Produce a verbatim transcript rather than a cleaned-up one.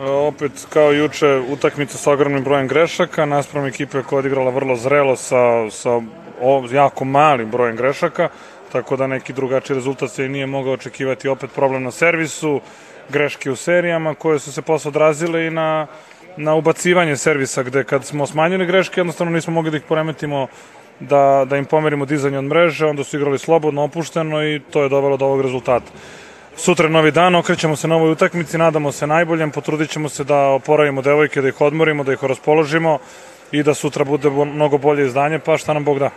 Opet, kao juče, utakmica sa ogromnim brojem grešaka, naspram ekipe koja je odigrala vrlo zrelo sa, sa jako malim brojem grešaka, tako da neki drugačiji rezultat se nije mogao očekivati. Opet problem na servisu, greške u serijama koje su se posle odrazile i na, na ubacivanje servisa, gde kad smo smanjili greške, jednostavno nismo mogli da ih poremetimo, da, da im pomerimo dizanje od mreže, onda su igrali slobodno, opušteno i to je dovelo do ovog rezultata. Sutra novi dan, okrećemo se novoj utakmici, nadamo se najboljem, potrudit ćemo se da oporavimo devojke, da ih odmorimo, da ih raspoložimo i da sutra bude mnogo bolje izdanje, pa šta nam Bog da.